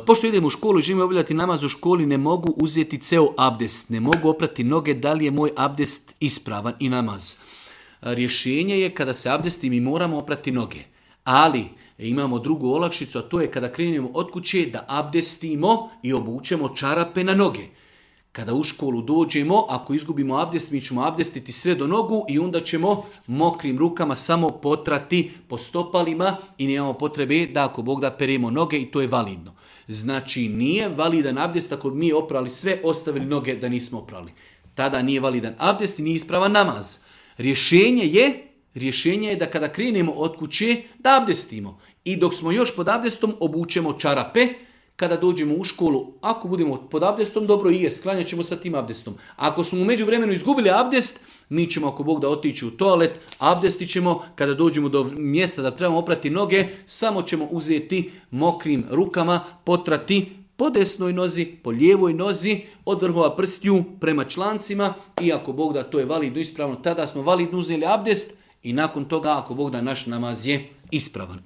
Pošto idem u školu i želim obavljati namaz u školi, ne mogu uzeti ceo abdest, ne mogu oprati noge, da li je moj abdest ispravan i namaz? Rješenje je kada se abdesti mi moramo oprati noge, ali imamo drugu olakšicu, a to je kada krenemo od kuće da abdestimo i obučemo čarape na noge. Kada u školu dođemo, ako izgubimo abdest, mi ćemo abdestiti sve do nogu i onda ćemo mokrim rukama samo potrati po stopalima i nemamo potrebe da ako Bog da peremo noge i to je validno. Znači nije validan abdest ako mi oprali sve, ostavili noge da nismo oprali. Tada nije validan abdest i nije ispravan namaz. Rješenje je da kada krenemo od kuće da abdestimo i dok smo još pod abdestom obučemo čarape. Kada dođemo u školu, ako budemo pod abdestom, dobro i je, sklanjat ćemo sa tim abdestom. Ako smo u međuvremenu izgubili abdest, mi ćemo ako Bog da otići u toalet, abdestit ćemo, kada dođemo do mjesta da trebamo oprati noge, samo ćemo uzeti mokrim rukama, potrati po desnoj nozi, po lijevoj nozi, od vrhova prstiju prema člancima i ako Bog da to je validno ispravno, tada smo validno uzeli abdest i nakon toga ako Bog da naš namaz je ispravan.